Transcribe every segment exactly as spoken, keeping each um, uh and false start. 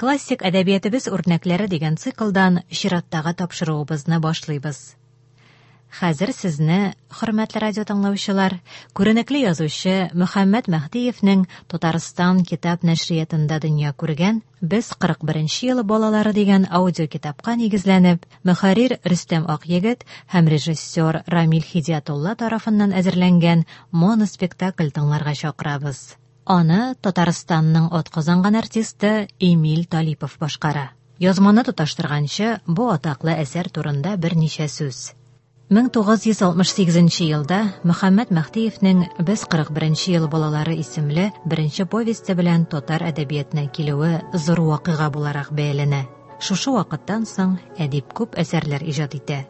Классик әдәбиятыбыз үрнәкләре дигән циклдан чираттагы тапшыруыбызны башлыйбыз. Хәзер сезне, хөрмәтле радио тыңлаучылар, күренекле язучы Мөхәммәт Мәһдиевнең Татарстан китап нәшриятында дөнья күргән Без кырык беренче ел балалары дигән аудиокитапка нигезләнеп, мөхәррир Рөстәм Акъегет һәм режиссер Рамил Хидиятулла тарафыннан әзерләнгән моноспектакль тыңларга чакырабыз. Аны Татарстанның атказанган артисты Эмиль Талипов башкара. Язманы тоташтырганчы бу атаклы әсәр турында берничә сүз. мең тугыз йөз алтмыш сигезенче елда Мөхәммәт Мәһдиевнең Без кырык беренче ел балалары исемле беренче повесте белән татар әдәбиятына килүе зур вакыйга буларак бәяләнә. Шушы вакыттан соң әдип күп әсәрләр иҗат итә.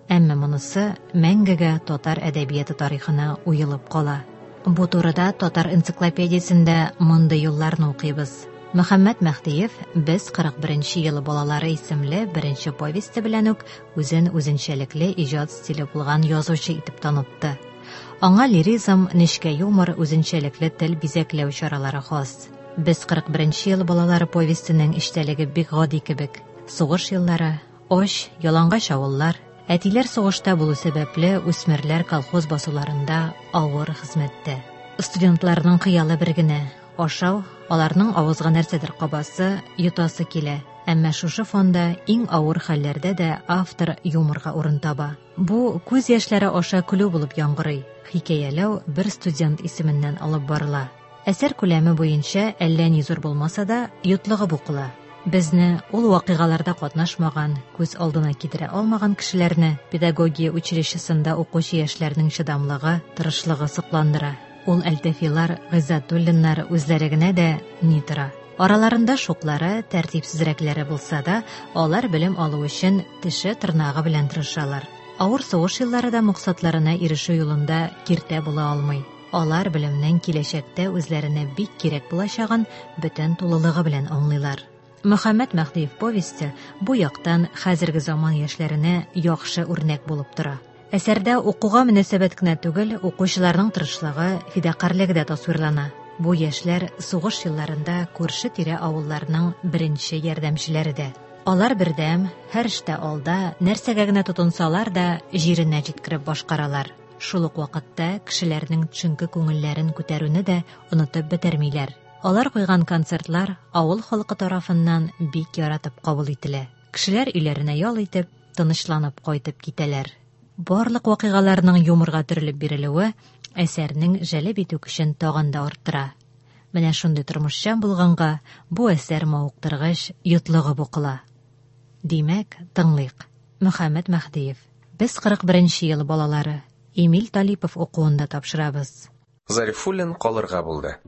Әмма монысы мәңгегә татар әдәбияты тарихына уелып кала. Бу турыда татар энциклопедиясендә мондый юлларны укыйбыз. Мөхәммәт Мәһдиев Без кырык беренче ел балалары исемле беренче повесте белән үк үзен үзенчәлекле иҗат стиле булган язучы итеп танытты. Аңа лиризм, нечкә юмор, үзенчәлекле тел бизәкләү чаралары хас. Без кырык беренче ел балалары повестенең эчтәлеге бик гади кебек. Сугыш еллары, ач, ялангач авыллар, әтиләр сугышта булу сәбәпле үсмерләр колхоз басуларында авыр хезмәттә. Студентларның хыялы бер генә ашау, аларның авызга нәрсәдер кабасы, йотасы килә. Әмма шушы фонда иң авыр хәлләрдә дә автор юморга урын таба. Бу күз яшьләре аша көлү булып яңгырый. Хикәяләү бер студент исеменнән алып барыла. Әсәр күләме буенча әллә ни зур булмаса да, йотлыгып укыла. Безне ул вакыйгаларда катнашмаган, күз алдына китерә алмаган кешеләрне педагогия училищесында укучы яшьләрнең чыдамлыгы, тырышлыгы сокландыра. Ул Әлтәфилар, Гыйззәтуллиннар үзләре генә дә ни тора. Араларында шуклары, тәртипсезрәкләре булса да, алар белем алу өчен теше тырнагы белән тырышалар. Авыр сугыш еллары да максатларына ирешү юлында киртә була алмый. Алар белемнең киләчәктә үзләренә бик кирәк булачагын бөтен тулылыгы белән аңлыйлар. Мөхәммәт Мәһдиев повесте бу яктан хәзерге заман яшьләренә яхшы үрнәк булып тора. Әсәрдә укуга мөнәсәбәт кенә түгел, укучыларның тырышлыгы, фидакарьлеге дә тасвирлана. Бу яшьләр сугыш елларында күрше-тирә авылларның беренче ярдәмчеләре дә. Алар бердәм, һәр эштә алда, нәрсәгә генә тотынсалар да, җиренә җиткереп башкаралар. Шул ук вакытта кешеләрнең төшенке күңелләрен күтәрүне дә онытып бетермиләр. Алар куйган концертлар авыл халкы тарафыннан бик яратып кабул ителә. Кешеләр өйләренә ял итеп, тынычланып кайтып китәләр. Барлык вакыйгаларның юморга төрелеп бирелүе әсәрнең җәлеп итү көчен тагын да арттыра. Менә шундый тормышчан булганга бу әсәр мавыктыргыч, йотлыгып укыла. Димәк, тыңлыйк. Мөхәммәт Мәһдиев. Без кырык беренче ел балалары. Эмиль Талипов укуында тапшырабыз. Зарифуллин калырга булды.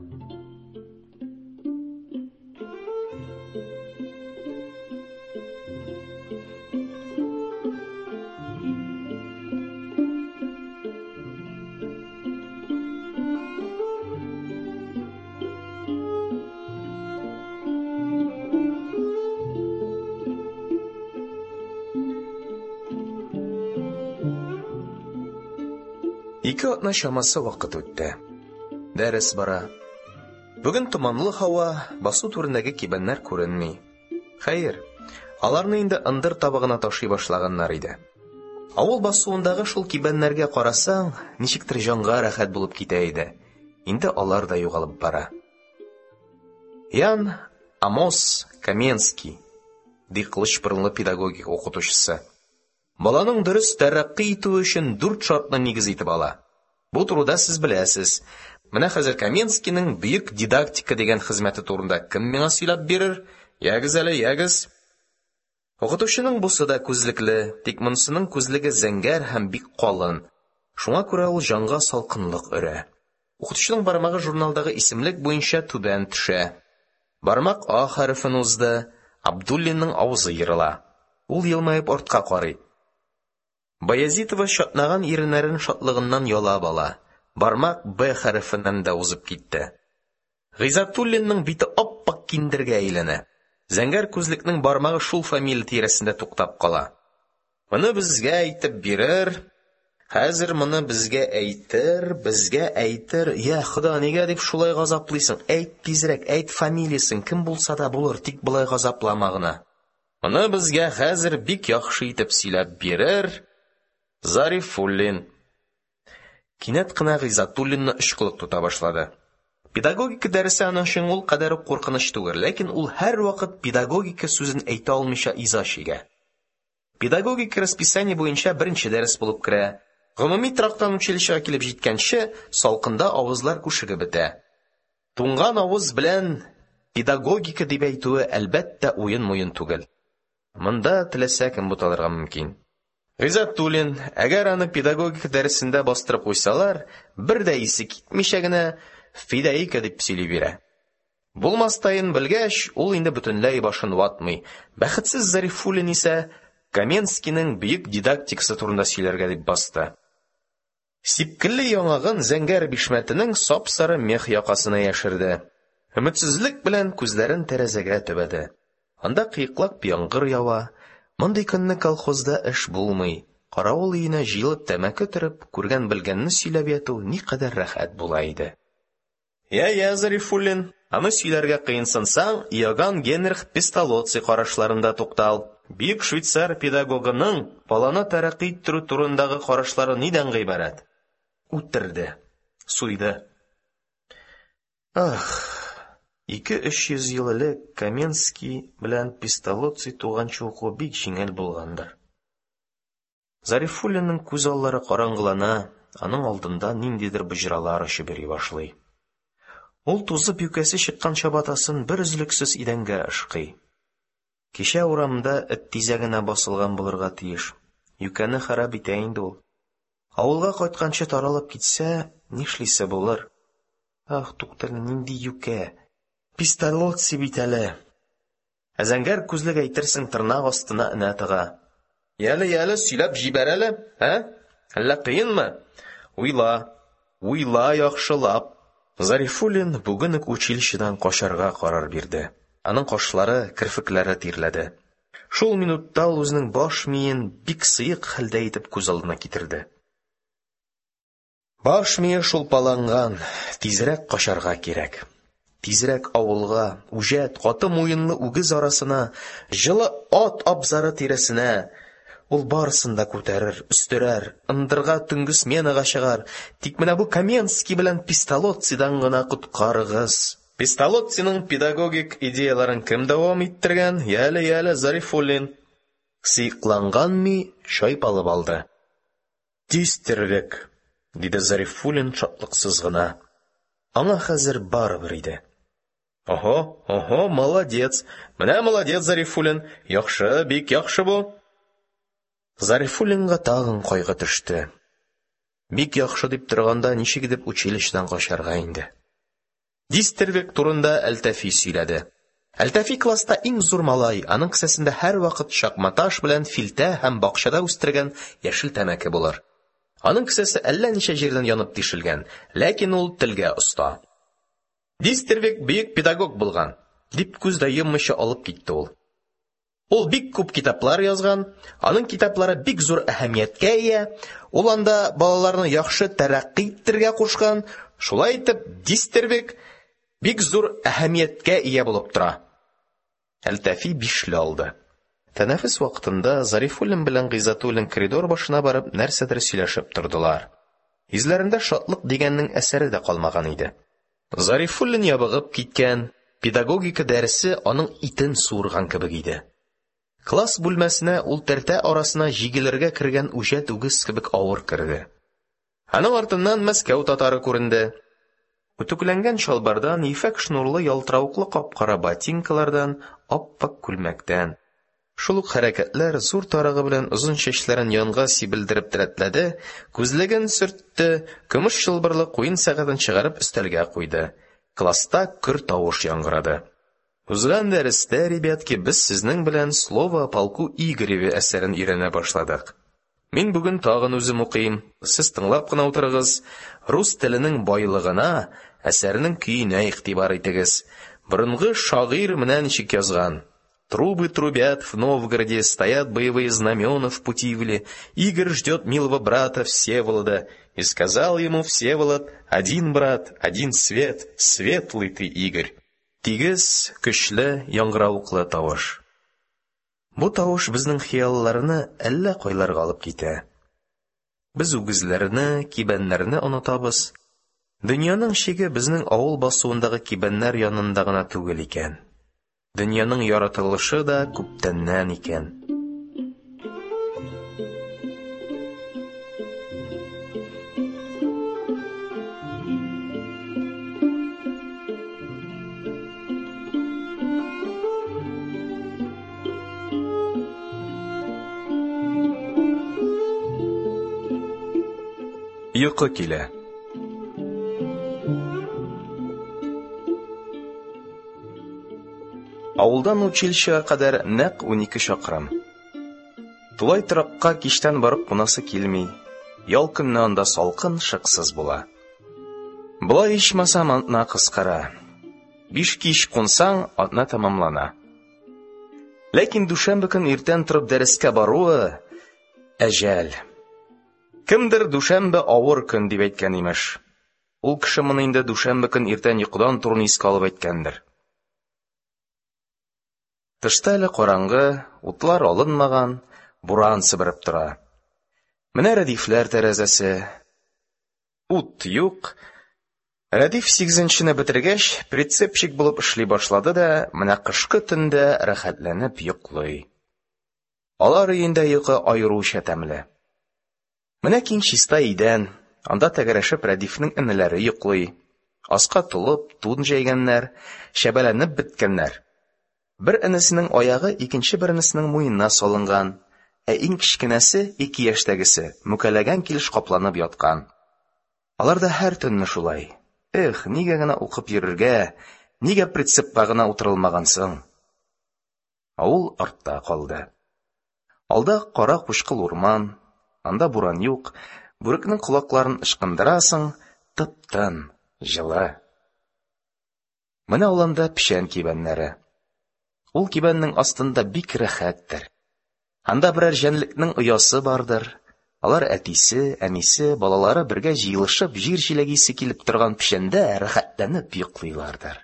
Ике атна чамасы вакыт үтте. Дәрес бара. Бүген томанлы һава, басу түрендәге кибәннәр күренми. Хәер, аларны инде ындыр табагына ташый башлаганнар иде. Авыл басуындагы шул кибәннәргә карасаң, ничектер җанга рәхәт булып китә иде. Инде алар да югалып бара. Ян Амос Коменский, ди кылыч борынлы педагогика укытучысы. Баланың дөрес тәрәккый итүе өчен дүрт шартны нигез итеп ала. Бу турыда сез беләсез. Менә хәзер Коменскийның бөек дидактика дигән хезмәте турында кем миңа сөйләп бирер? Ягез әле, ягез. Укытучының бусы да күзлекле, тик монысының күзлеге зәңгәр һәм бик калын. Шуңа күрә ул җанга салкынлык өрә. Укытучының бармагы журналдагы исемлек буенча түбән төшә. Бармак А хәрефен узды. Абдуллинның авызы ерыла. Ул елмаеп артка карый. Баязитова чатнаган иреннәрен шатлыгыннан ялап ала. Бармак Б хәрефеннән дә узып китте. Гыйззәтуллинның бите ап-ак киндергә әйләнә. Зәңгәр күзлекнең бармагы шул фамилия тирәсендә туктап кала. Моны безгә әйтеп бирер. Хәзер моны безгә әйтер, безгә әйтер. Йа Хода, нигә дип шулай газаплыйсың? Әйт тизрәк, әйт фамилиясен, кем булса да булыр, тик болай газаплама гына. Моны безгә хәзер бик яхшы итеп сөйләп бирер Зарифуллин. Кинәт кенә Гыйззәтуллинны очкылык тота башлады. Педагогика дәресе аның өчен ул кадәр үк куркыныч түгел, ләкин ул һәрвакыт педагогика сүзен әйтә алмыйча иза чигә. Педагогика расписание буенча беренче дәрес булып керә. Гомуми торактан училищега килеп җиткәнче, салкында авызлар күшегеп бетә. Туңган авыз белән педагогика дип әйтүе, әлбәттә, уен-муен түгел. Монда теләсә кем буталырга мөмкин. Гыйззәтуллин, әгәр аны педагогика дәресендә бастырып куйсалар, бер дә исе китмичә генә «фидәика» дип сөйли бирә. Булмастаен белгәч, ул инде бөтенләй башын ватмый. Бәхетсез Зарифуллин исә Коменскийның бөек дидактикасы турында сөйләргә дип басты. Сипкелле яңагын зәңгәр бишмәтенең сап-сары мех якасына яшерде. Өметсезлек белән күзләрен тәрәзәгә төбәде. Анда кыеклап яңгыр ява. Мондый көнне колхозда эш булмый. Каравыл өенә җыелып тәмәке төреп, күргән-белгәнне сөйләп яту никадәр рәхәт була иде. Я-я, Зарифуллин, аны сөйләргә кыенсынсаң, Иоганн Генрих Песталоцци карашларында туктал. Бөек швейцар педагогының баланы тәрәккый иттерү турындагы карашлары нидән гыйбарәт? Үтерде, суйды. Ах, ике-өч йөз ел элек Коменский белән Песталоцци туганчы уку бик җиңел булгандыр. Зарифуллинның күз аллары караңгылана, аның алдында ниндидер боҗралар очып йөри башлый. Ул тузып юкәсе чыккан чабатасын бер өзлексез идәнгә ышкый. Кичә урамда эт тизәгенә басылган булырга тиеш. Юкәне харап итә инде ул. Авылга кайтканчы таралып китсә, нишлисе булыр? Ах, туктале, нинди юкә! Песталоцци бит әле. Ә зәңгәр күзлек әйтерсең тырнак астына энә тыга. Яле, яле, сөйләп җибәр әле, ә? Әллә кыенмы? Уйла, уйла яхшылап. Зарифуллин бүген үк училищедан качарга карар бирде. Аның кашлары, керфекләре тирләде. Шул минутта ул үзенең баш миен бик сыек хәлдә итеп күз алдына китерде. Баш мие шулпаланган, тизрәк качарга кирәк. Тизрәк авылга, үҗәт, каты муенлы үгез арасына, җылы ат абзары тирәсенә. Ул барысын да күтәрер, өстерәр, ындырга төнге сменага чыгар. Тик менә бу Коменский белән Песталоццидан гына коткарыгыз. Песталоцциның педагогик идеяларын кем дәвам иттергән? Яле, яле, Зарифуллин. Сыекланган ми чайпалып алды. Дистервег, диде Зарифуллин шатлыксыз гына. Аңа хәзер барыбер иде. Ого, ого, молодец. Менә молодец, Зарифуллин. Яхшы, бик яхшы бу. Зарифуллинга тагын кайгы төште. Бик яхшы дип торганда ничек итеп училищедан качарга инде? Дистервег турында Әлтафи сөйләде. Әлтафи класста иң зур малай, аның кесәсендә һәрвакыт чакматаш белән филтә һәм бакчада үстергән яшел тәмәке булыр. Аның кесәсе әллә ничә җирдән янып тишелгән, ләкин ул телгә оста. Дистервег бөек педагог булган, дип күз дә йоммыйча алып китте ул. Ул бик күп китаплар язган, аның китаплары бик зур әһәмияткә ия, ул анда балаларны яхшы тәрәккый иттерергә кушкан, шулай итеп Дистервег бик зур әһәмияткә ия булып тора. Әлтафи бишле алды. Тәнәфес вакытында Зарифуллин белән Гыйззәтуллин коридор башына барып нәрсәдер сөйләшеп тордылар. Йөзләрендә шатлык дигәннең әсәре дә калмаган иде. Зарифуллин ябыгып киткән, педагогика дәресе аның итен суырган кебек иде. Класс бүлмәсенә ул тәртә арасына җигелергә кергән үҗәт үгез кебек авыр керде. Аның артыннан Мәскәү татары күренде. Үтүкләнгән чалбардан, ефәк шнурлы ялтыравыклы кап-кара ботинкалардан, ап-ак күлмәктән. Шул ук хәрәкәтләр зур тарагы белән озын чәчләрен янга сибелдереп рәтләде, күзлеген сөртте, көмеш чылбырлы куен сәгатен чыгарып өстәлгә куйды. Класста көр тавыш яңгырады. Узган дәрестә, ребятки, без сезнең белән «Слово о полку Игореве» әсәрен өйрәнә башладык. Мин бүген тагын үзем укыйм, сез тыңлап кына утырыгыз. Рус теленең байлыгына, әсәрнең көенә игътибар итегез. Борынгы шагыйрь менә ничек язган. Трубы трубят в Новгороде, стоят боевые знамена в Путивле. Игорь ждет милого брата Всеволода. И сказал ему Всеволод: один брат, один свет, светлый ты, Игорь. Тигез, көчле, яңгыравыклы тавыш. Бу тавыш безнең хыялларны әллә кайларга алып китә. Без үгезләрне, кибәннәрне онытабыз. Дөньяның чиге безнең авыл басуындагы кибәннәр янында гына түгел икән. Дөньяның яратылышы да күптәннән икән. Йокы килә. Авылдан училищега кадәр нәкъ унике чакрым. Тулай торакка кичтән барып кунасы килми. Ял көнне анда салкын, шыксыз була. Болай ичмасам атна кыскара. Биш кич кунсаң, атна тәмамлана. Ләкин дүшәмбе көн иртән торып дәрескә баруы әҗәл. Кемдер дүшәмбе авыр көн дип әйткән имеш. Ул кеше моны инде дүшәмбе көн иртән йокыдан торуны искә алып әйткәндер. Тышта әле караңгы, утлар алынмаган, буран сыбырып тора. Менә Рәдифләр тәрәзәсе. Ут юк. Рәдиф сигезенчене бетергәч, прицепщик булып эшли башлады да, менә кышкы төндә рәхәтләнеп йоклый. Алар өендә йокы аеруча тәмле. Менә киң чиста идән, анда тәгәрәшеп Рәдифнең энеләре йоклый. Аска тулып, тун җәйгәннәр, чәбәләнеп беткәннәр. Бер энесенең аягы икенче бер энесенең муенына салынган, ә иң кечкенәсе, ике яшьтәгесе, мүкәләгән килеш капланып яткан. Алар да һәр төнне шулай. Эх, нигә генә укып йөрергә, нигә прицепка гына утырылмаган соң? Авыл артта калды. Алда кара кучкыл урман, анда буран юк, бүрекнең колакларын ычкындырасың, тып-тын, җылы. Менә аланда печән кибәннәре. Ул кибәннең астында бик рәхәттер. Анда берәр җәнлекнең оясы бардыр. Алар әтисе, әнисе, балалары бергә җыелышып җир җиләге исе килеп торган печәндә рәхәтләнеп йоклыйлардыр.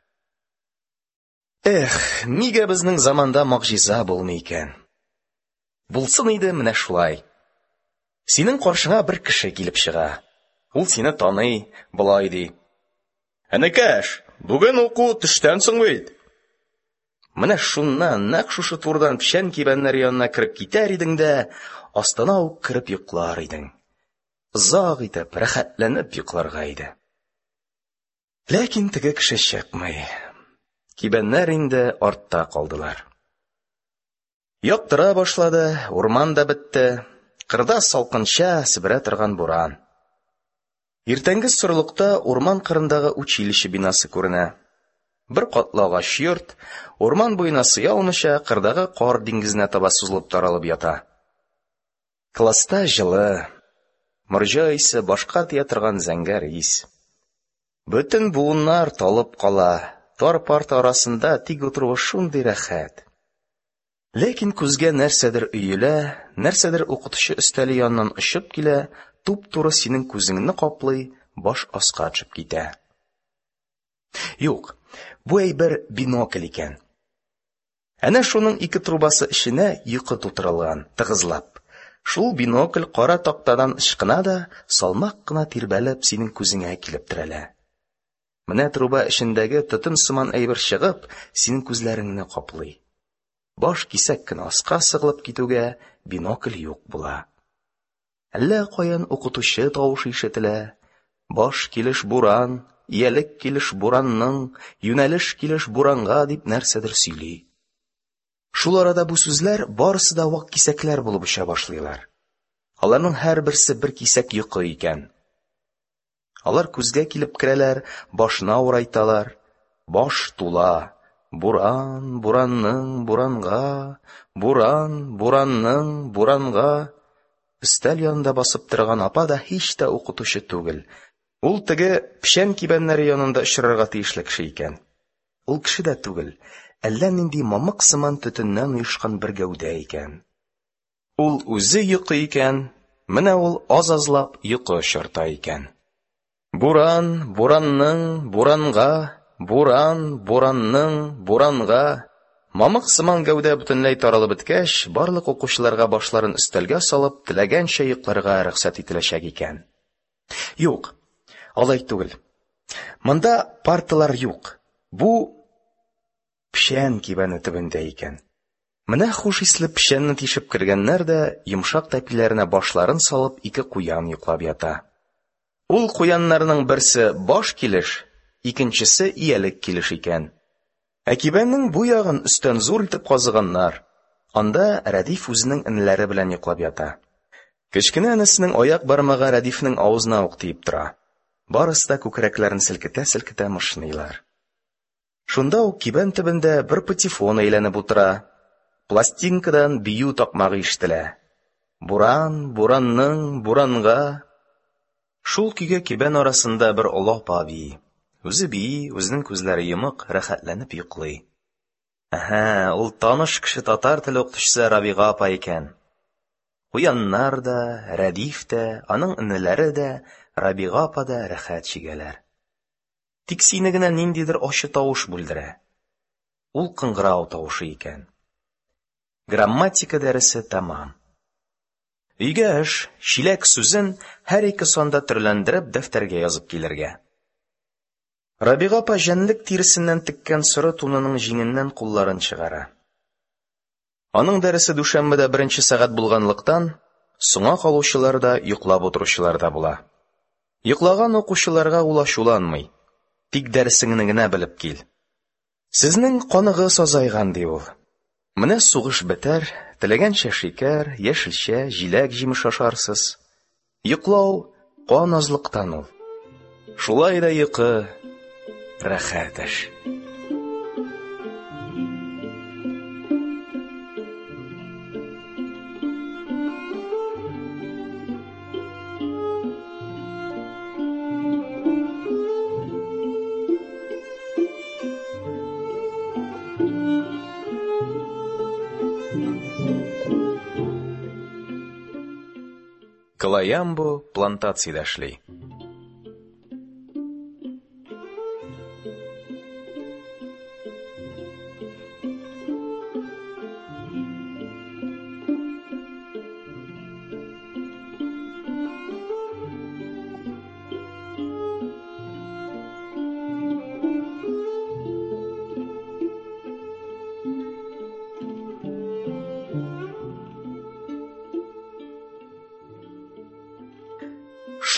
Эх, нигә безнең заманда могҗиза булмый икән? Булсын иде менә шулай. Синең каршыңа бер кеше килеп чыга. Ул сине таный, болай ди: "Энекәш, бүген уку төштән соң бит." Менә шуннан, нәкъ шушы турыдан печән кибәннәре янына кереп китәр идең дә, астына ук кереп йоклар идең. Озак итеп, рәхәтләнеп йокларга иде. Ләкин теге кеше чыкмый. Кибәннәр инде артта калдылар. Яктыра башлады, урман да бетте. Кырда салкынча себерә торган буран. Иртәнге сорылыкта урман кырындагы училище бинасы күренә. Бер катлы агач йорт, урман буена сыя алмыйча, кырдагы кар диңгезенә таба сузылып таралып ята. Класста җылы, морҗа исе, башка тия торган зәңгәр ис. Бөтен буыннар талып кала, тар парта арасында тик утыруы шундый рәхәт. Ләкин күзгә нәрсәдер өелә, нәрсәдер укытучы өстәле яныннан очып килә, туп-туры синең күзеңне каплый, баш аска төшеп китә. Юк, бу әйбер бинокль икән. Әнә шуның ике трубасы эченә йокы тутырылган, тыгызлап. Шул бинокль кара тактадан ычкына да, салмак кына тирбәлеп синең күзеңә килеп терәлә. Менә труба эчендәге төтен сыман әйбер чыгып, синең күзләреңне каплый. Баш кисәк кенә аска сыгылып китүгә бинокль юк була. Әллә каян укытучы тавышы ишетелә. Баш килеш буран, иялек килеш буранның, юнәлеш килеш буранга дип нәрсәдер сөйли. Шул арада бу сүзләр барысы да вак кисәкләр булып оча башлыйлар. Аларның һәрберсе бер кисәк йокы икән. Алар күзгә килеп керәләр, башны авырайталар. Баш тула. Буран, буранның, буранга, буран, буранның, буранга. Өстәл янында басып торган апа да һич тә укытучы түгел. Ул теге печән кибәннәре янында очрарга тиешле кеше икән. Ул кеше дә түгел, әллә нинди мамык сыман төтеннән оешкан бер гәүдә икән. Ул үзе йокы икән, менә ул аз-азлап йокы очырта икән. Буран, буранның, буранга, буран, буранның, буранга. Мамык сыман гәүдә бөтенләй таралып беткәч, барлык укучыларга башларын өстәлгә салып, теләгәнчә йокларга рөхсәт ителәчәк икән. Юк, алай түгел. Монда парталар юк. Бу печән кибәне төбендә икән. Менә хуш исле печәнне тишеп кергәннәр дә, йомшак тәпиләренә башларын салып, ике куян йоклап ята. Ул куяннарның берсе баш килеш, икенчесе иялек килеш икән. Ә кибәннең бу ягын өстән зур итеп казыганнар. Анда Рәдиф үзенең энеләре белән йоклап ята. Кечкенә энесенең аяк бармагы Рәдифнең авызына ук тиеп тора. Барысы да күкрәкләрен селкетә-селкетә мышныйлар. Шунда ук кибән төбендә бер патефон әйләнеп утыра. Пластинкадан бию такмагы ишетелә. Буран, буранның, буранга. Шул көйгә кибән арасында бер олы апа бии. Үзе бии, үзенең күзләре йомык, рәхәтләнеп йоклый. Әһә, ул таныш кеше татар теле укытучысы Рабига апа икән. Куяннар да, Рәдиф тә, аның энеләре дә, Рабига апа да рәхәт чигәләр. Тик сине генә ниндидер ачы тавыш бүлдерә. Ул кыңгырау тавышы икән. Грамматика дәресе тәмам. Өйгә эш, чиләк сүзен һәр ике санда төрләндереп дәфтәргә язып килергә. Рабига апа җәнлек тиресеннән теккән соры тунының җиңеннән кулларын чыгара. Аның дәресе дүшәмбедә беренче сәгать булганлыктан, соңа калучылар да, йоклап утыручылар да була. Йоклаган укучыларга ул ачуланмый. Тик дәресеңне генә белеп кил. Сезнең каныгыз азайган, ди ул. Менә сугыш бетәр, теләгәнчә шикәр, яшелчә, җиләк-җимеш ашарсыз. Йоклау кан азлыктан ул. Шулай да йокы рәхәт эш. Колаямбу плантациядә эшли.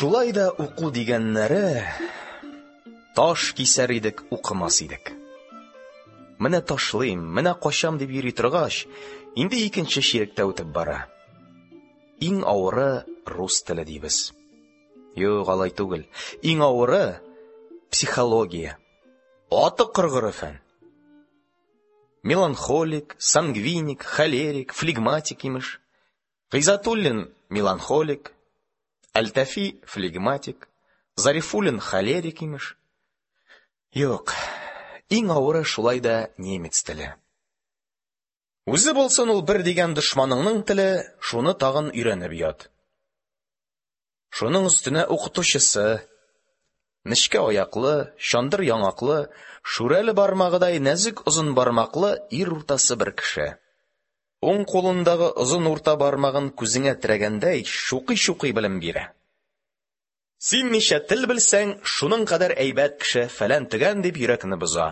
Шулай да уку дигәннәре таш кисәр идек, укымас идек. Менә ташлыйм, менә качам дип йөри торгач, инде икенче чиректә үтеп бара. Иң авыры рус теле дибез. Юк, алай түгел. Иң авыры психология. Аты кыргыры фән. Меланхолик, сангвиник, холерик, флегматик имеш. Гыйззәтуллин меланхолик, Әлтафи флегматик, Зарифуллин холерик имеш. Юк, иң авыры шулай да немец теле. Үзе булсын ул бер дигән дошманыңның теле, шуны тагын өйрәнеп ят. Шуның өстенә укытучысы нечкә аяклы, чандыр яңаклы, шүрәле бармагыдай нәзек озын бармаклы ир уртасы бер кеше. Уң кулындагы озын урта бармагын күзеңә терәгәндәй чукый-чукый белем бирә. Син ничә тел белсәң, шуның кадәр әйбәт кеше фәлән төгән дип йөрәкне боза.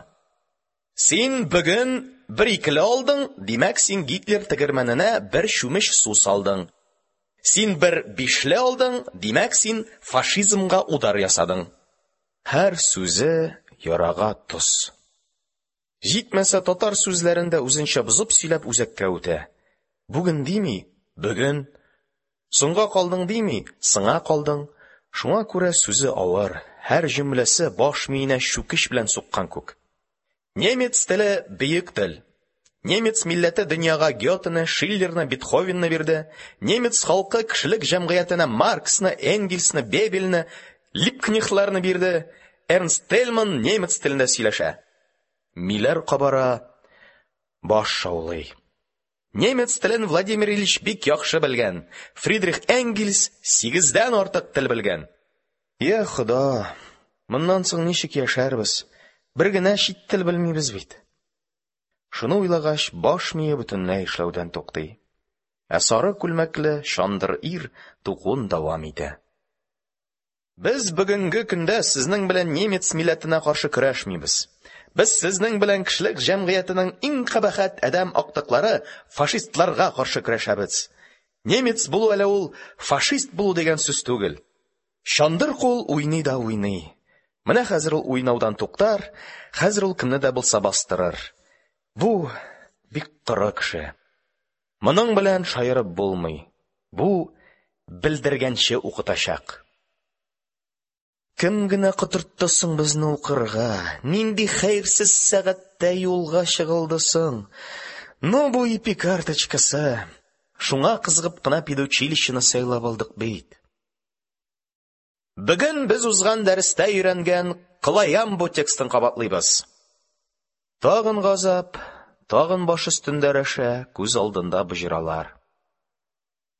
Син бүген бер икеле алдың, димәк син Гитлер тегермәненә бер чүмеч су салдың. Син бер бишле алдың, димәк син фашизмга удар ясадың. Һәр сүзе ярага тоз. Җитмәсә татар сүзләрен дә үзенчә бозып сөйләп үзәккә үтә. Бүген дими, бүген. Соңга калдың дими, сыңа калдың. Шуңа күрә сүзе авыр, һәр җөмләсе баш миенә чүкеч белән суккан күк. Немец теле бөек тел. Немец милләте дөньяга Гётены, Шиллерны, Бетховенны бирде. Немец халкы кешелек җәмгыятенә Марксны, Энгельсны, Бебельне, Либкнехтларны бирде. Эрнст Тельман немец телендә сөйләшә. Миләр кабара. Баш шаулый. Немец телен Владимир Ильич бик яхшы белгән, Фридрих Энгельс сигездән артык тел белгән. Йа Хода, моннан соң ничек яшәрбез, бер генә чит тел белмибез бит. Шуны уйлагач, баш мие бөтенләй эшләүдән туктый. Ә сары күлмәкле чандыр ир тукуын дәвам итә. Без бөгөнге көндә сезнең белән немец милләтенә каршы көрәшмибез. Без сезнең белән кешелек җәмгыятенең иң кабахәт адәм актыклары фашистларга каршы көрәшәбез. Немец булу әле ул фашист булу дигән сүз түгел. Чандыр кул уйный да уйный. Менә хәзер ул уйнаудан туктар, хәзер ул кемне дә булса бастырыр. Бу бик коры кеше. Моның белән шаярып булмый. Бу белдергәнче укытачак. Кем генә котыртты соң безне укырга? Нинди хәерсез сәгатьтә юлга чыгылды соң? Ну, бу ипи карточкасы. Шуңа кызыгып кына педучилищены сайлап алдык бит. Бөгөн без узган дәрестә өйрәнгән Колаямбу текстын кабатлыйбыз. Тагын газап, тагын баш өстендә рәшә, күз алдында боҗралар.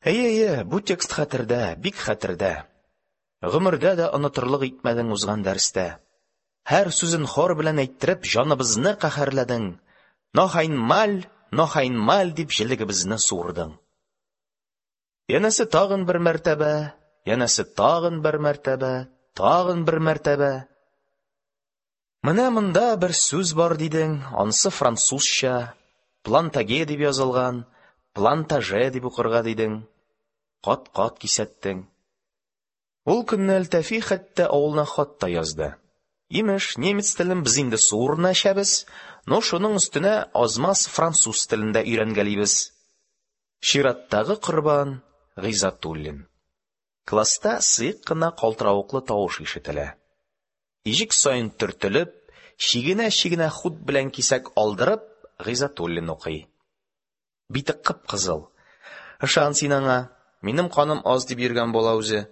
Әйе, әйе, бу текст хәтердә, бик хәтердә. Гомердә дә онытырлык итмәдең узган дәрестә. Һәр сүзен хор белән әйттереп, җаныбызны каһәрләдең. Noch einmal, noch einmal дип җелегебезне суырдың. Янәсе тагын бер мәртәбә, янәсе тагын бер мәртәбә, тагын бер мәртәбә. Менә монда бер сүз бар дидең, анысы французча, плантаге дип язылган, плантаже дип укырга дидең. Кат-кат кисәттең. Ул көнне Әлтафи хәтта авылына хат та язды. Имеш, немец телен без инде суырына эчәбез, но шуның өстенә азмаз француз телен дә өйрәнгәлибез. Чираттагы корбан Гыйззәтуллин. Класста сыек кына калтыравыклы тавыш ишетелә. Иҗек саен төртелеп, чигенә-чигенә хут белән кисәк алдырып, Гыйззәтуллин укый. Бите кып-кызыл. Ышан син аңа, минем каным аз дип йөргән була үзе.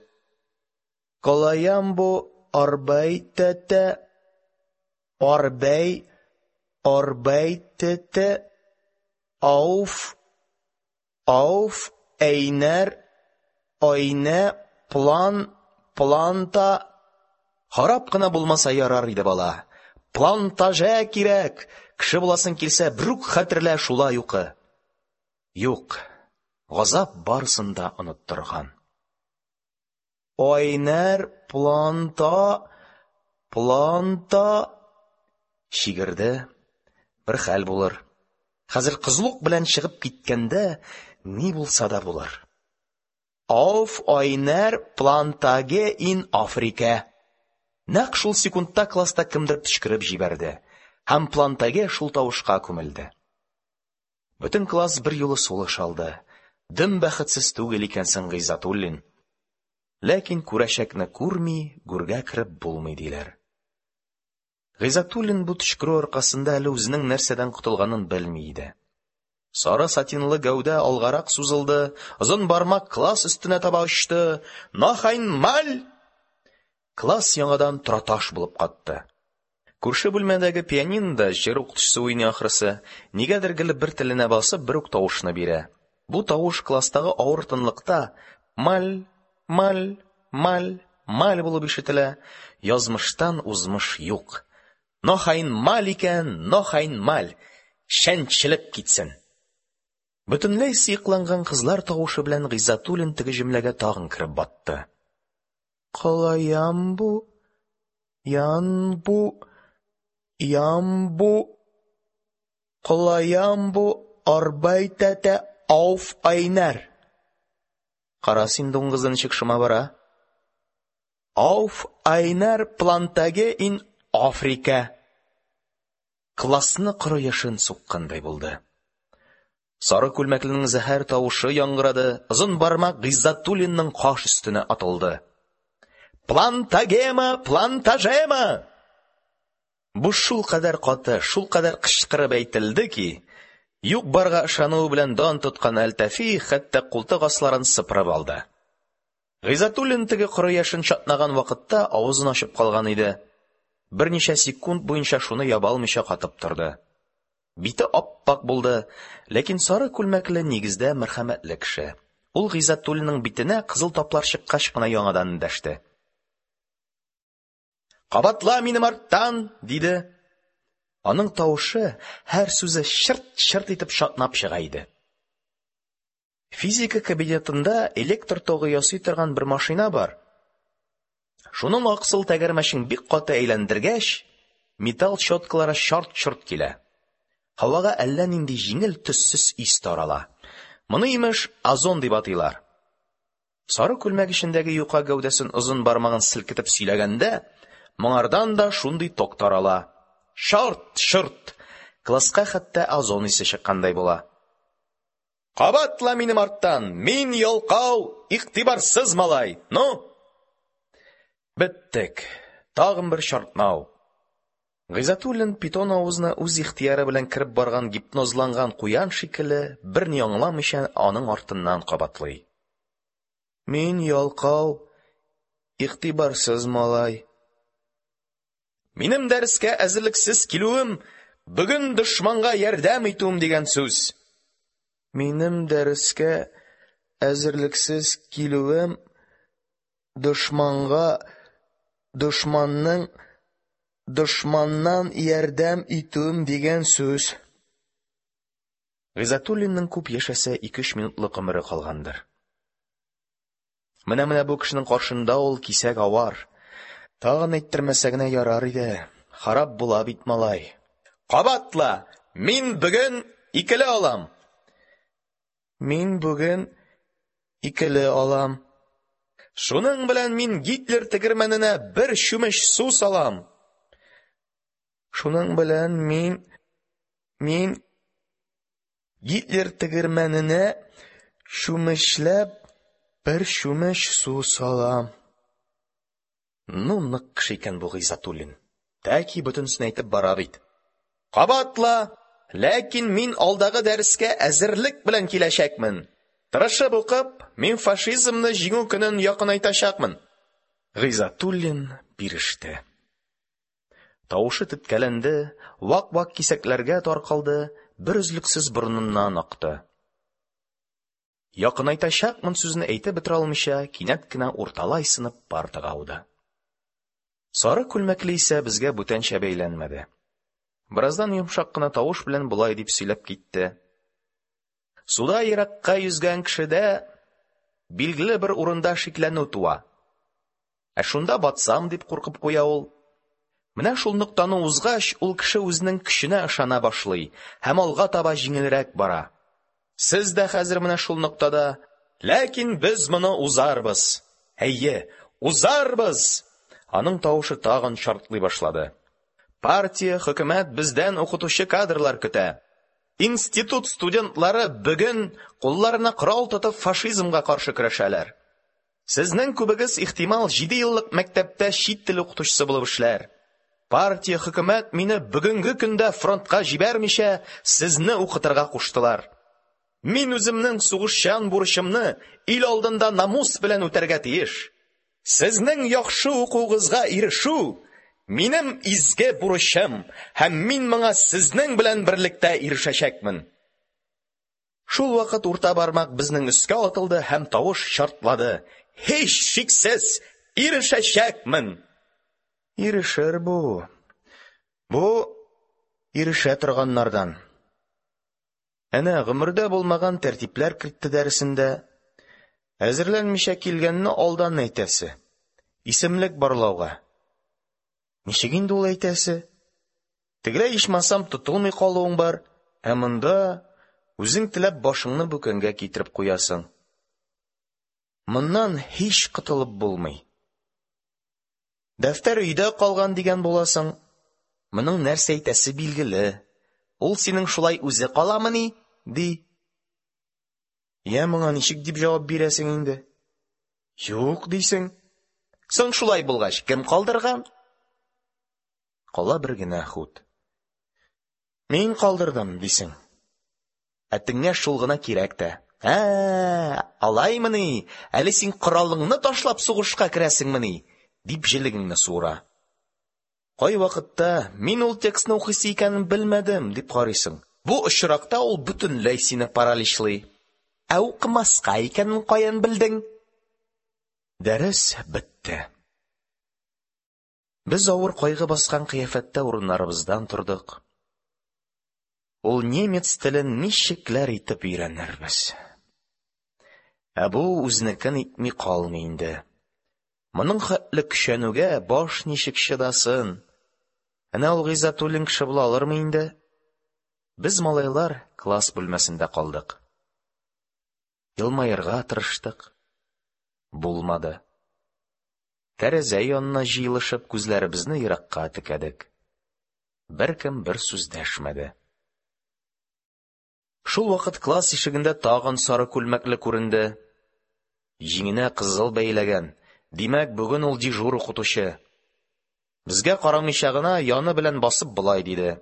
Колаямбу арбайтете арбай арбайтете ауф ауф әйнәр айнә план планта. Харап кына булмаса ярар иде, бала. Плантаже кирәк. Кеше буласың килсә, берүк хәтерлә, шулай укы. Юк, газап барысын да оныттырган. Айнәр планта планта чигерде. Бер хәл булыр. Хәзер кызлык белән чыгып киткәндә ни булса да булыр. Ауф айнәр плантаге ин Африка. Нәкъ шул секундта класста кемдер төчкереп җибәрде, һәм плантаге шул тавышка күмелде. Бөтен класс бер юлы сулыш алды. Дөм бәхетсез түгел икәнсең, Гыйззәтуллин. Ләкин күрәчәкне күрми, гүргә кереп булмый диләр. Гыйззәтуллин бу төчкерү аркасында әле үзенең нәрсәдән котылганын белми иде. Сары сатинлы гәүдә алгарак сузылды, озын бармак класс өстенә таба очты. Noch einmal! Класс яңадан тораташ булып катты. Күрше бүлмәдәге пианинода җыр укытучысы уйный ахрысы, нигәдер гел бер теленә басып, бер үк тавышны бирә. Бу тавыш класстагы авыр тынлыкта маль, маль, маль, маль булып ишетелә. Язмыштан узмыш юк. Noch einmal икән, noch einmal, чәнчелеп китсен. Бөтенләй сыекланган кызлар тавышы белән Гыйззәтуллин теге җөмләгә тагын кереп батты. Колаямбу, янбу, ямбу, колаямбу арбайтете ауф айнәр. Кара син дуңгызы ничек шома бара. Ауф айнәр плантаге ин Африка. Классны коры яшен суккандай булды. Сары күлмәкленең зәһәр тавышы яңгырады, озын бармак Гыйззәтуллинның каш өстенә атылды. Плантагема, плантажема! Бу шул кадәр каты, шул кадәр кычкырып әйтелде ки, юк барга ышануы белән дан тоткан Әлтафи хәтта култык асларын сыпырып алды. Гыйззәтуллин теге коры яшен чатнаган вакытта авызын ачып калган иде. Берничә секунд буенча шуны яба алмыйча катып торды. Бите ап-ак булды, ләкин сары күлмәкле нигездә мәрхәмәтле кеше. Ул Гыйззәтуллинның битенә кызыл таплар чыккач кына яңадан эндәште. «Кабатла минем арттан!» – диде. Аның тавышы, һәр сүзе чырт-чырт итеп чатнап чыга иде. Физика кабинетында электр тогы ясый торган бер машина бар. Шуның аксыл тәгәрмәчен бик каты әйләндергәч, металл щеткалары чарт-чорт килә. Һавага әллә нинди җиңел, төссез ис тарала. Моны, имеш, озон дип атыйлар. Сары күлмәк эчендәге юка гәүдәсен озын бармагын селкетеп сөйләгәндә, моңардан да шундый ток тарала. Чарт-чорт! Класска хәтта озон исе чыккандай була. Кабатла минем арттан! Мин ялкау, игътибарсыз малай! Ну? Беттек. Тагын бер чартнау. Гыйззәтуллин питон авызына үз ихтыяры белән кереп барган гипнозланган куян шикелле, берни аңламыйча аның артыннан кабатлый. Мин ялкау, игътибарсыз малай. Минем дәрескә әзерлексез килүем бүген дошманга ярдәм итүем дигән сүз. Минем дәрескә әзерлексез килүем дошманга, дошманның, дошманнан ярдәм итүем дигән сүз. Гыйззәтуллинның күп яшәсә ике-өч минутлык гомере калгандыр. Менә-менә бу кешенең каршында ул кисәк авар. Тагын әйттермәсә генә ярар иде. Харап була бит малай. Кабатла! Мин бүген икеле алам. Мин бүген икеле алам. Шуның белән мин Гитлер тегермәненә бер чүмеч су салам. Шуның белән мин, мин Гитлер тегермәненә чүмечләп бер чүмеч су салам. Ну, нык кеше икән бу Гыйззәтуллин. Тәки бөтенесен әйтеп бара бит. Кабатла! Ләкин мин алдагы дәрескә әзерлек белән киләчәкмен. Тырышып укып, мин фашизмны җиңү көнен якынайтачакмын. Гыйззәтуллин биреште. Тавышы теткәләнде, вак-вак кисәкләргә таркалды, бер өзлексез борыныннан акты. Якынайтачакмын сүзен әйтеп бетерә алмыйча, кинәт кенә урталай сынып партага ауды. Сары күлмәкле исә безгә бүтәнчә бәйләнмәде. Бераздан йомшак кына тавыш белән болай дип сөйләп китте. Суда еракка йөзгән кешедә билгеле бер урында шикләнү туа. Ә шунда батсам дип куркып куя ул. Менә шул ноктаны узгач, ул кеше үзенең көченә ышана башлый һәм алга таба җиңелрәк бара. Сез дә хәзер менә шул ноктада, ләкин без моны узарбыз. Әйе, узарбыз! Аның тавышы тагын шартлый башлады. Партия, хөкүмәт бездән укытучы кадрлар көтә. Институт студентлары бүген кулларына корал тотып фашизмга каршы көрәшәләр. Сезнең күбегез ихтимал җиде еллык мәктәптә чит тел укытучысы булып эшләр. Партия, хөкүмәт мине бүгенге көндә фронтка җибәрмичә сезне укытырга куштылар. Мин үземнең сугышчан бурычымны ил алдында намус белән үтәргә тиеш. Сезнең яхшы укуыгызга ирешү минем изге бурычым, һәм мин моңа сезнең белән берлектә ирешәчәкмен. Шул вакыт урта бармак безнең өскә атылды һәм тавыш шартлады. Һич шиксез ирешәчәкмен. Ирешер бу. Бу ирешә торганнардан. Әнә гомердә булмаган тәртипләр кертте дәресендә. Әзерләнмичә килгәнне алдан әйтәсе. Исемлек барлауга. Ничек инде ул әйтәсе? Тегеләй ичмасам тотылмый калуың бар, ә монда үзең теләп башыңны бүкәнгә китереп куясың. Моннан һич котылып булмый. Дәфтәр өйдә калган дигән буласың. Моның нәрсә әйтәсе билгеле. Ул синең шулай үзе каламыни? Ди. Я моңа ничек дип җавап бирәсең инде? Юк дисең. Соң шулай булгач, кем калдырган? Кала бер генә хут. Мин калдырдым дисең. Ә теңгә шул гына кирәк тә. Ә, алаймыни? Әле син коралыңны ташлап сугышка керәсеңмени? Дип җелегеңне суыра. Кайвакытта мин ул текстны укыйсы икәнен белмәдем дип карыйсың. Бу очракта ул бөтенләй сине параличлый. Ә укымаска икәнен каян белдең? Дәрес бетте. Без авыр кайгы баскан кыяфәттә урыннарыбыздан тордык. Ул немец телен ничекләр итеп өйрәнербез? Ә бу үзенекен итми калмый инде. Моның хәтле көчәнүгә баш ничек чыдасын? Әнә ул Гыйззәтуллин кеше була алырмы инде? Без, малайлар, класс бүлмәсендә калдык. Елмаерга тырыштык. Булмады. Тәрәзә янына җыелышып, күзләребезне еракка текәдек. Беркем бер сүз дәшмәде. Шул вакыт класс ишегендә тагын сары күлмәкле күренде. Җиңенә кызыл бәйләгән. Димәк, бүген ул дежур укытучы. Безгә карамыйча гына яны белән басып болай диде: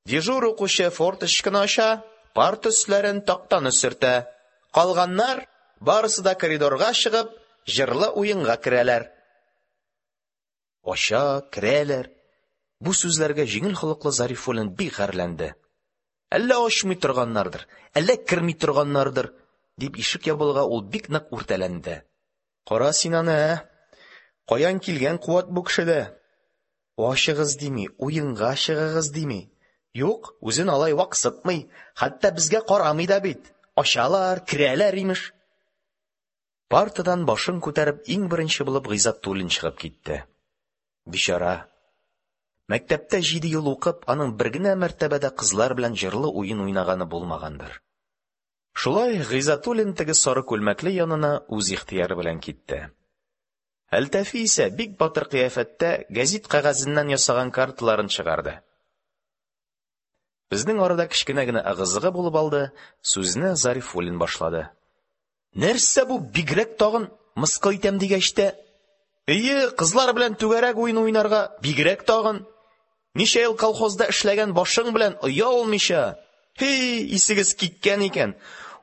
«Дежур укучы форточканы ача, парта өсләрен, тактаны сөртә. Калганнар барысы да коридорга чыгып, җырлы уенга керәләр». Ача, керәләр. Бу сүзләргә җиңел холыклы Зарифуллин бик гарьләнде. Әллә ачмый торганнардыр, әллә керми торганнардыр, дип ишек ябылуга ул бик нык үртәләнде. Кара син аны, ә? Каян килгән куәт бу кешедә? Ачыгыз дими, уенга чыгыгыз дими. Юк, үзен алай ваксытмый, хәтта безгә карамый да бит. Ачалар, керәләр, имеш. Партадан башын күтәреп иң беренче булып Гыйззәтуллин чыгып китте. Бичара. Мәктәптә җиде ел укып, аның бер генә мәртәбә дә кызлар белән җырлы уен уйнаганы булмагандыр. Шулай Гыйззәтуллин теге сары күлмәкле янына үз ихтыяры белән китте. Әлтафи исә бик батыр кыяфәттә гәзит кәгазеннән ясаган карталарын чыгарды. Безнең арада кечкенә генә ыгы-зыгы булып алды, сүзне Зарифуллин башлады. Нәрсә бу, бигрәк тагын мыскыл итәм дигәч тә? Ие, кызлар белән түгәрәк уен уйнарга бигрәк тагын. Ничә ел колхозда эшләгән башың белән оялмыйча. Һи, исегез киткән икән.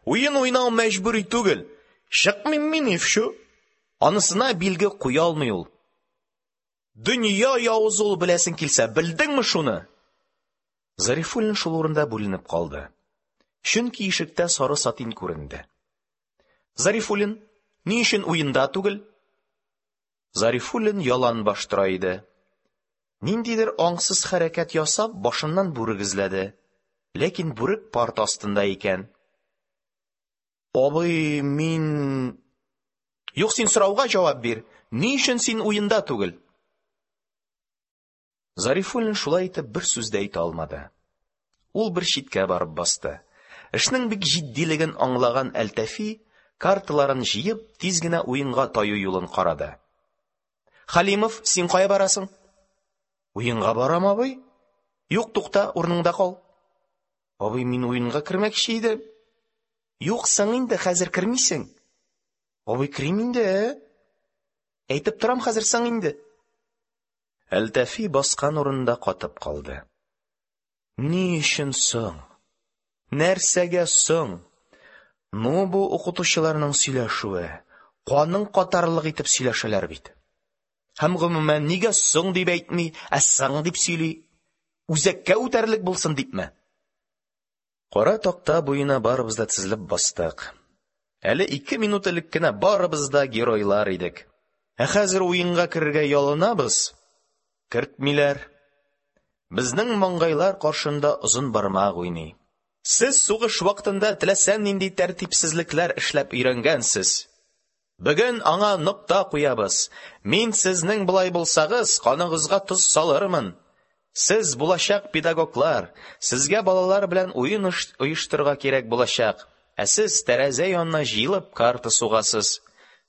Уен уйнау мәҗбүри түгел. Чыкмыйм мин и всё. Анысына билге куя алмый ул. Дөнья явызы ул, беләсең килсә, белдеңме шуны? Зарифуллин шул урында бүленеп калды. Чөнки ишектә сары сатин күренде. Зарифуллин, ни өчен уенда түгел? Зарифуллин ялан баш тора иде. Ниндидер аңсыз хәрәкәт ясап, башыннан бүрек эзләде. Ләкин бүрек парта астында икән. Абый, мин... Юк, син сорауга җавап бир. Ни өчен син уенда түгел? Зарифуллин шулай итеп бер сүз дә әйтә алмады. Ул бер читкә барып басты. Эшнең бик җитдилеген аңлаган Әлтафи, карталарын җыеп, тиз генә уенга таю юлын карады. Халимов, син кая барасың? Уенга барам, абый. Юк, тукта, урыныңда кал. Абый, мин уенга кермәкче идем. Юк, соң инде, хәзер кермисең. Абый, керим инде, ә? Әйтеп торам, хәзер соң инде. Әлтафи баскан урынында катып калды. Ни өчен соң? Нәрсәгә соң? Ну, бу укытучыларның сөйләшүе, каның катарлык итеп сөйләшәләр бит. Һәм гомумән нигә соң дип әйтми, ә сың дип сөйли? Үзәккә үтәрлек булсын дипме? Кара такта буена барыбыз да тезелеп бастык. Әле ике минут элек кенә барыбыз да геройлар идек. Ә хәзер уенга керергә ялынабыз. Кертмиләр. Безнең маңгайлар каршында озын бармак уйный. Сез сугыш вакытында теләсә нинди тәртипсезлекләр эшләп өйрәнгәнсез. Бүген аңа нокта куябыз. Мин сезнең болай булсагыз, каныгызга тоз салырмын. Сез булачак педагоглар, сезгә балалар белән уен оештырырга кирәк булачак. Ә сез тәрәзә янына җыелып карта сугасыз.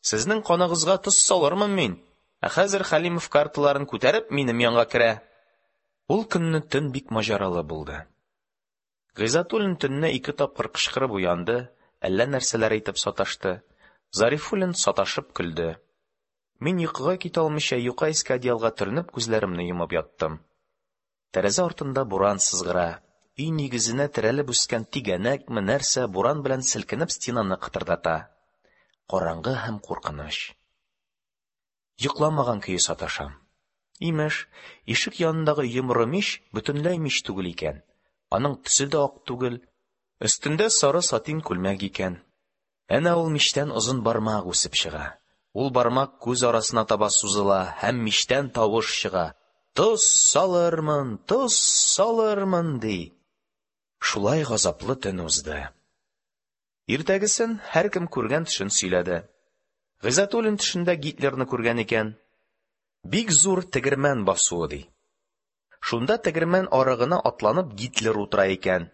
Сезнең каныгызга тоз салырмын мин. Ә хәзер Халимов карталарын күтәреп минем янга керә. Ул көнне төн бик маҗаралы булды. Гыйззәтуллин төнне ике тапкыр кычкырып уянды, әллә нәрсәләр әйтеп саташты. Зарифуллин саташып көлде. Мин йокыга китә алмыйча юка иске одеялга төренеп күзләремне йомып яттым. Тәрәзә артында буран сызгыра. Өй нигезенә терәлеп үскән тигәнәкме нәрсә буран белән селкенеп стенаны кытырдата. Караңгы һәм куркыныч. Йокламаган көе саташам. Имеш, ишек янындагы йомры мич бөтенләй мич түгел икән, аның төсе дә ак түгел, өстендә сары сатин күлмәк икән. Әнә ул мичтән озын бармак үсеп чыга. Ул бармак күз арасына таба сузыла, һәм мичтән тавыш чыга: «Тоз салырмын, тоз салырмын», – ди. Шулай газаплы төн узды. Иртәгесен һәркем күргән төшен сөйләде. Гыйззәтуллин төшендә Гитлерны күргән икән. Бик зур тегермән басуы, ди. Шунда тегермән арыгына атланып Гитлер утыра икән.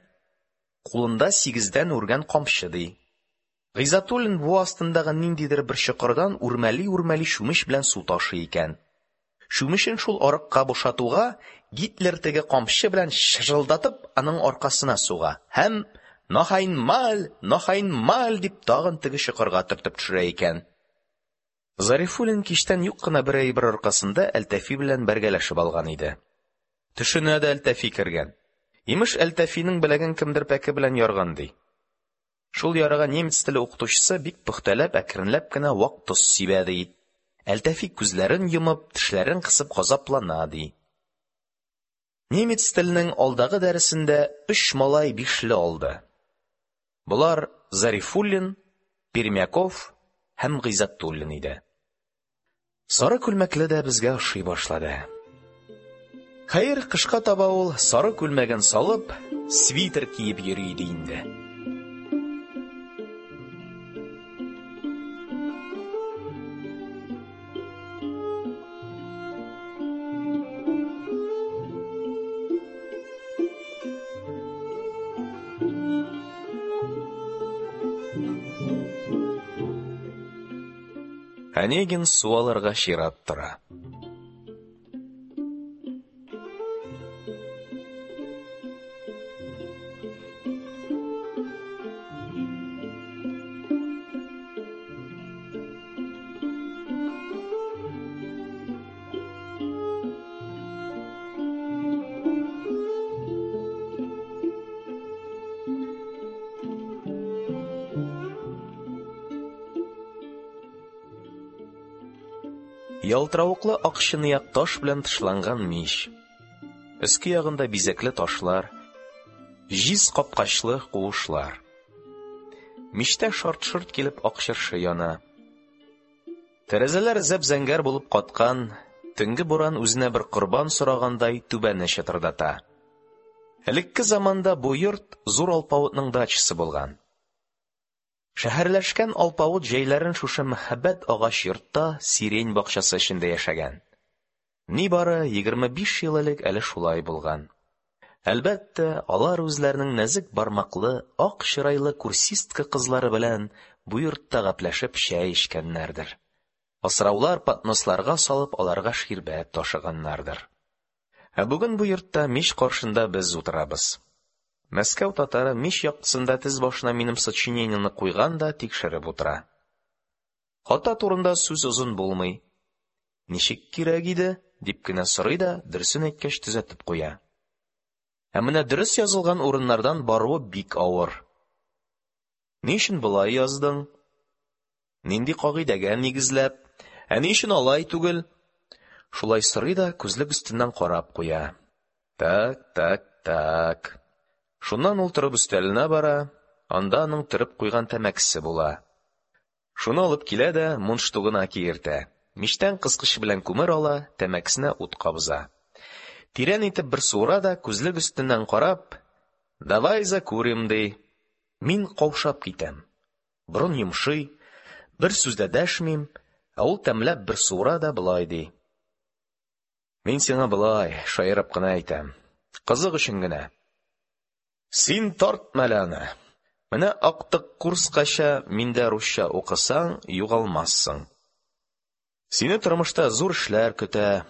Кулында сигездән үргән камчы, ди. Гыйззәтуллин буа астындагы ниндидер бер чокырдан үрмәли-үрмәли чүмеч белән су ташый икән. Чүмечен шул арыкка бушатуга, Гитлер теге камчы белән чыжылдатып аның аркасына суга һәм: «Нох айнмаль, нох айнмаль!» – дип, тагын теге чокырга төртеп төшерә икән. Зарифуллин кичтән юк кына бер әйбер аркасында Әлтафи белән бәргәләшеп алган иде. Төшенә дә Әлтафи кергән. Имеш, Әлтафиның беләген кемдер пәке белән ярган, ди. Шул ярага немец теле укытучысы бик пөхтәләп, әкренләп кенә вак тоз сибә, ди. Әлтафи күзләрен йомып, тешләрен кысып газаплана, ди. Немец теленең алдагы дәресендә өч малай бишле алды. Болар Зарифуллин, Пермяков һәм Гыйззәтуллин иде. Сары күлмәкле дә безгә ошый башлады. Хәер, кышка таба ул сары күлмәген салып, свитер киеп йөри иде инде. Онегин су алырга чират тора. Ялтыравыклы ак чынаяк таш белән тышланган мич. Өске ягында бизәкле ташлар, җиз капкачлы куышлар. Мичтә шарт-шорт килеп ак чыршы яна. Тәрәзәләр зәп-зәңгәр булып каткан, төнге буран үзенә бер корбан сорагандай түбәне чытырдата. Элекке заманда бу йорт зур алпавытның дачасы булган. Шәһәрләшкән алпавыт җәйләрен шушы мәһабәт агач йортта сирень бакчасы эчендә яшәгән. Нибары егерме биш ел элек әле шулай булган. Әлбәттә, алар үзләренең нәзек бармаклы, ак чырайлы курсистка кызлары белән бу йортта гәпләшеп чәй эчкәннәрдер. Асраулар подносларга салып аларга ширбәт ташыганнардыр. Ә бүген бу йортта мич каршында без утырабыз. Мәскәү татары мич яктысында тез башына минем сочинениене куйган да тикшереп утыра. Хата турында сүз озын булмый. Ничек кирәк иде, дип кенә сорый да, дөресен әйткәч төзәтеп куя. Ә менә дөрес язылган урыннардан баруы бик авыр. Ни өчен болай яздың? Нинди кагыйдәгә нигезләп? Ә ни өчен алай түгел? Шулай сорый да күзлек өстеннән карап куя. Так, так, так. Шуннан ул торып өстәленә бара, анда аның төреп куйган тәмәкесе була. Шуны алып килә дә мундштугына киертә. Мичтән кыскыч белән күмер ала, тәмәкесенә ут кабыза. Тирән итеп бер суыра да күзлек өстеннән карап, «Давай закурим», ди. Мин каушап китәм. Борын йомшый, бер сүз дә дәшмим, ә ул тәмләп бер суыра да болай ди. Мин сиңа болай, шаярып кына әйтәм. Кызык өчен генә. Син тартма әле аны. Менә актык курскача миндә русча укысаң, югалмассың. Сине тормышта зур эшләр көтә.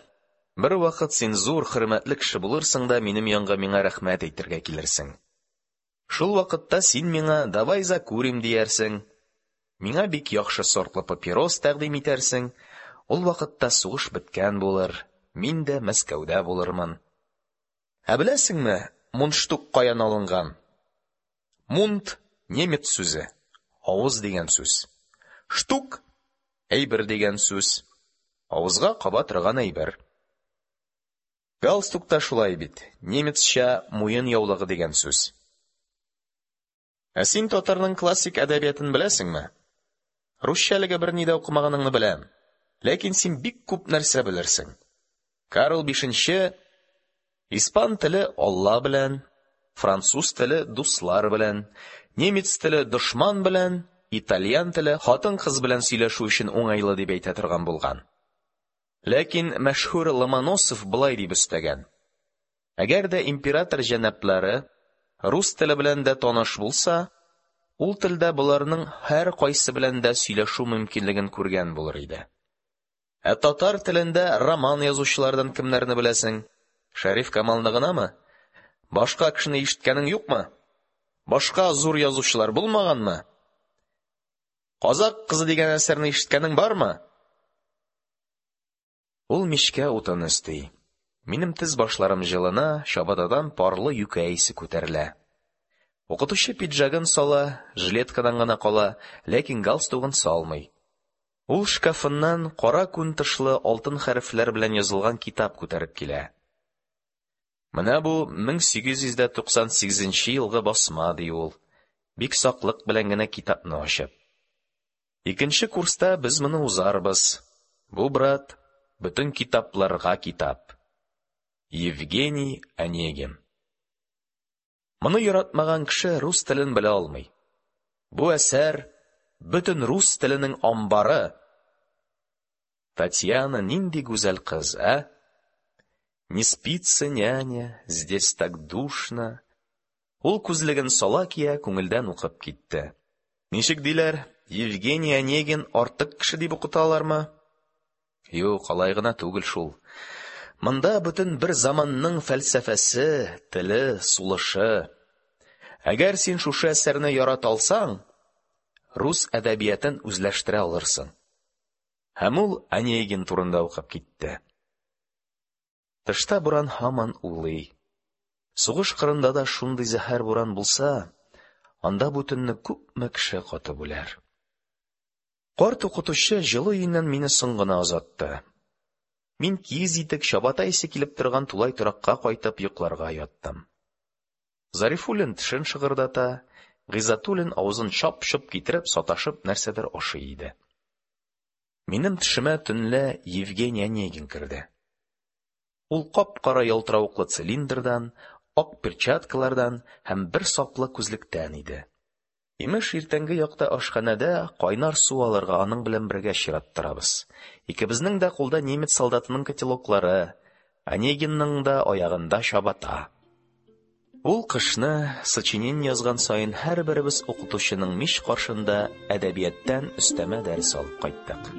Бер вакыт син зур хөрмәтле кеше булырсың да минем янга миңа рәхмәт әйтергә килерсең. Шул вакытта син миңа «давай закурим» диярсең. Миңа бик яхшы сортлы папирос тәкъдим итәрсең. Ул вакытта сугыш беткән булыр, мин дә Мәскәүдә булырмын. Ә беләсеңме, мундштук каян алынган? Мунд немец сүзе, авыз дигән сүз. Штук әйбер дигән сүз. Авызга каба торган әйбер. Галстук та шулай бит, немецча муен яулыгы дигән сүз. Ә син татарның классик әдәбиятын беләсеңме? Русча әлегә берни дә укымаганыңны беләм. Ләкин син бик күп нәрсә белерсең. Карл Бишенче испан теле Алла белән, француз теле дуслар белән, немец теле дошман белән, итальян теле хатын-кыз белән сөйләшү өчен уңайлы дип әйтә торган булган. Ләкин мәшһүр Ломоносов болай дип өстәгән: Әгәр дә император җәнаплары рус теле белән дә таныш булса, ул телдә боларның һәркайсы белән дә сөйләшү мөмкинлеген күргән булыр иде. Ә татар телендә роман язучылардан кемнәрне беләсең? Шәриф Камалны гынамы? Башка кешене ишеткәнең юкмы? Башка зур язучылар булмаганмы? Казак кызы дигән әсәрне ишеткәнең бармы? Ул мичкә утын өсти. Минем тез башларым җылына, чабатадан парлы юкә исе күтәрелә. Укытучы пиджагын сала, жилеткадан гына кала, ләкин галстугын салмый. Ул шкафыннан кара күн тышлы алтын хәрефләр белән язылган китап күтәреп килә. Менә бу мең сигез йөз дә туксан сигезенче елгы басма, ди ул, бик саклык белән генә китапны ачып. Икенче курста без моны узарбыз. Бу, брат, бөтен китапларга китап. Евгений Онегин. Моны яратмаган кеше рус телен белә алмый. Бу әсәр бөтен рус теленең амбары. Татьяна нинди гүзәл кыз, ә? Не спится, няня, здесь так душно. Ул күзлеген сала кия, күңелдән укып китте. Ничек диләр, Евгений Онегин артык кеше дип укыталармы? Юк, алай гына түгел шул. Монда бөтен бер заманның фәлсәфәсе, теле, сулышы. Әгәр син шушы әсәрне ярата алсаң, рус әдәбиятын үзләштерә алырсың. Һәм ул Онегин турында укып китте. Тышта буран һаман улый. Сугыш кырында да шундый зәһәр буран булса, анда бу төнне күпме кеше катып үләр. Карт укытучы җылы өеннән мине соң гына озатты. Мин киез итек, чабата исе килеп торган тулай торакка кайтып йокларга яттым. Зарифуллин тешен шыгырдата, Гыйззәтуллин авызын чап-чоп китереп, саташып нәрсәдер ашый иде. Минем төшемә төнлә Евгений Онегин керде. Ул кап-кара ялтыравыклы цилиндрдан, ак перчаткалардан һәм бер саплы күзлектән иде. Имеш, иртәнге якта ашханәдә кайнар су алырга аның белән бергә чират торабыз. Икебезнең дә кулда немец солдатының котелоклары, Онегинның да аягында чабата. Ул кышны сочинение язган саен һәрберебез укытучының мич каршында әдәбияттан өстәмә дәрес алып кайттык.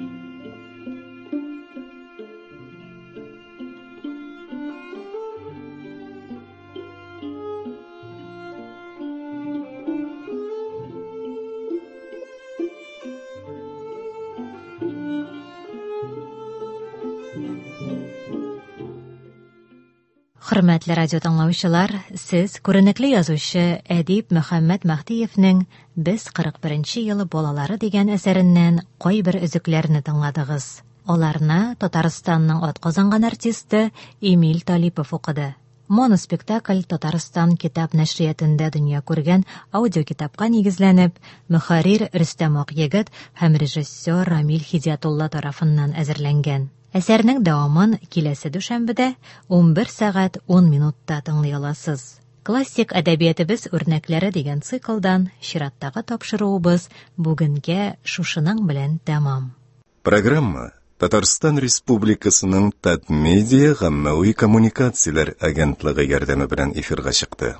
Хөрмәтле радио тыңлаучылар, сез күренекле язучы әдип Мөхәммәт Мәһдиевнең Без кырык беренче елы балалары дигән әсәреннән кайбер өзекләрне тыңладыгыз. Аларны Татарстанның атказанган артисты Эмиль Талипов укыды. Моноспектакль Татарстан китап нәшриятында дөнья күргән аудиокитапка нигезләнеп, мөхәррир Рөстәм Акъегет һәм режиссер Рамил Хидиятулла тарафыннан әзерләнгән. Әсәрнең дәвамын киләсе дүшәмбедә унбер сәгать ун минутта тыңлый аласыз. Классик әдәбиятыбыз үрнәкләре дигән циклдан чираттагы тапшыруыбыз бүгенгә шушының белән тәмам. Программа Татарстан Республикасының Татмедиа гаммәви коммуникацияләр агентлыгы ярдәме белән эфирга чыкты.